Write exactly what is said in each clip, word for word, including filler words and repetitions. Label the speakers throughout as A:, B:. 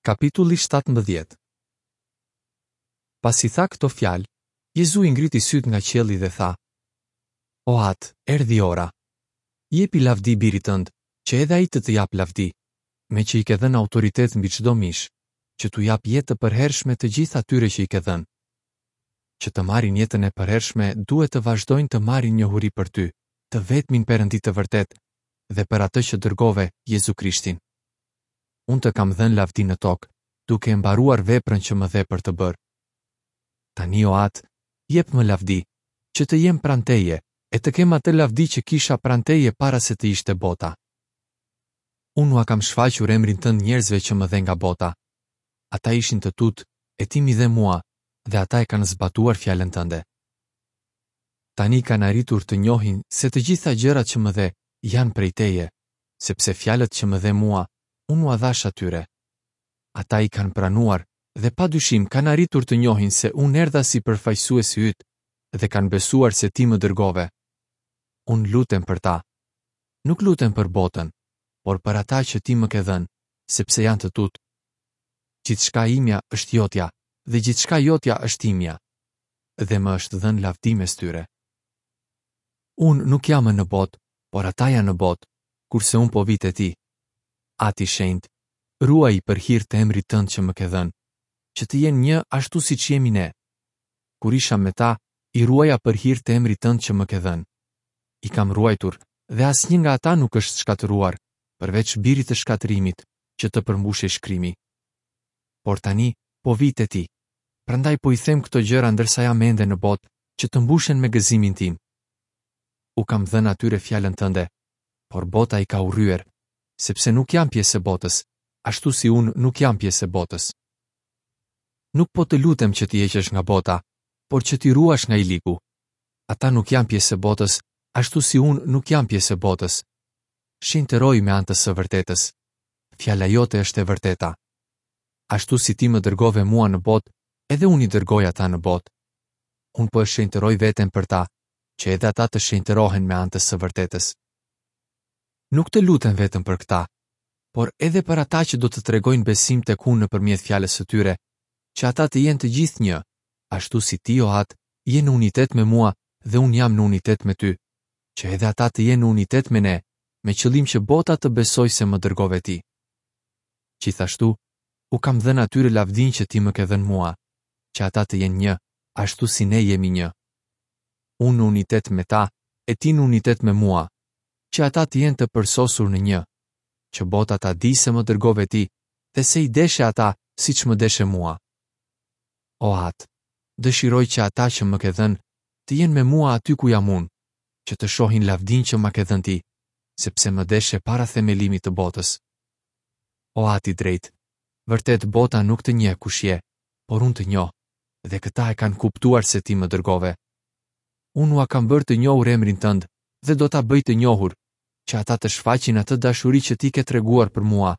A: Kapitulli shtatëmbëdhjetë. Pasi tha këto fjalë, Jezui ngriti sytë nga qielli dhe tha: O Atë, erdhi ora. Jepi lavdi birit tënd, që edhe ai të të japë lavdi, meqë i ke dhënë autoritet mbi çdo mish, që t'u japë jetë të përhershme të gjithë atyre që i ke dhënë. Që të marrin jetën e përhershme, duhet të vazhdojnë të marrin njohuri për ty, të vetmin Perëndi të vërtetë, dhe për atë që dërgove, Jezu Krishtin. Unë të kam dhënë lavdi në tokë, duke e mbaruar veprën që më dhe për të bërë. Tani, o Atë, jep më lavdi, që të jem pranë teje, e të kem atë lavdi që kisha pranë teje para se të ishte bota. Unë ua kam shfaqur emrin tënd njerëzve që më dhe nga bota. Ata ishin të tutë, e ti m'i dhe mua, dhe ata e kanë zbatuar fjalën tënde. Tani kanë arritur të njohin se të gjitha gjërat që më dhe janë prej teje, sepse fjalët që më dhe mua, unë ua dhashë atyre. Ata i kanë pranuar dhe pa dyshim kanë arritur të njohin se unë erdha si përfaqësuesi yt dhe kanë besuar se ti më dërgove. Unë lutem për ta. Nuk lutem për botën, por për ata që ti më ke dhënë, sepse janë të tutë. Gjithçka imja është jotja dhe gjithçka jotja është imja, dhe më është dhënë lavdi mes tyre. Unë nuk jam më në botë, por ata janë në botë, kurse unë po vi te ti. Ati shenjt, ruaji për hir të emrit tënd që më ke dhënë, që të jenë një ashtu siç jemi ne. Kur isha me ta, i ruaja për hir të emrit tënd që më ke dhënë. I kam ruajtur dhe asnjë nga ata nuk është shkatërruar, përveç birit të shkatërrimit, që të përmbushej shkrimi. Por tani po vi te ti. Prandaj po i them këto gjëra ndërsa jam ende në botë, që të mbushen me gëzimin tim. U kam dhënë atyre fjalën tënde, por bota i ka urryer, sepse nuk janë pjesë e botës, ashtu si unë nuk jam pjesë e botës. Nuk po të lutem që t'i heqësh nga bota, por që t'i ruash nga i ligu. Ata nuk janë pjesë e botës, ashtu si unë nuk jam pjesë e botës. Shenjtëroi me anë të së vërtetës. Fjala jote është e vërteta. Ashtu si ti më dërgove mua në botë, edhe unë i dërgoj ata në botë. Unë po e shenjtëroj veten për ta, që edhe ata të shenjtërohen me anë të së vërtetës. Nuk të lutem vetëm për këta, por edhe për ata që do të tregojnë besim tek unë nëpërmjet fjalës së tyre, që ata të jenë të gjithë një, ashtu si ti, o Atë, je në unitet me mua dhe unë jam në unitet me ty, që edhe ata të jenë në unitet me ne, me qëllim që bota të besojë se më dërgove ti. Gjithashtu, u kam dhënë atyre lavdinë që ti më ke dhënë mua, që ata të jenë një, ashtu si ne jemi një. Unë në unitet me ta, e ti në unitet me mua, që ata të jenë të përsosur në një, që bota ta di se më dërgove ti dhe se i deshe ata siç më deshe mua. O Atë, dëshiroj që ata që më ke dhënë të jenë me mua aty ku jam unë, që të shohin lavdinë që ma ke dhënë ti, sepse më deshe para themelimit të botës. O Atë i drejtë, vërtet bota nuk të njeh kush je, por unë të njoh, dhe këta e kanë kuptuar se ti më dërgove. Unë ua kam bërë të njohur emrin tënd dhe do ta bëj të njohur, që ata të shfaqin atë dashuri që ti ke treguar për mua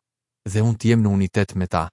A: dhe unë të jem në unitet me ta.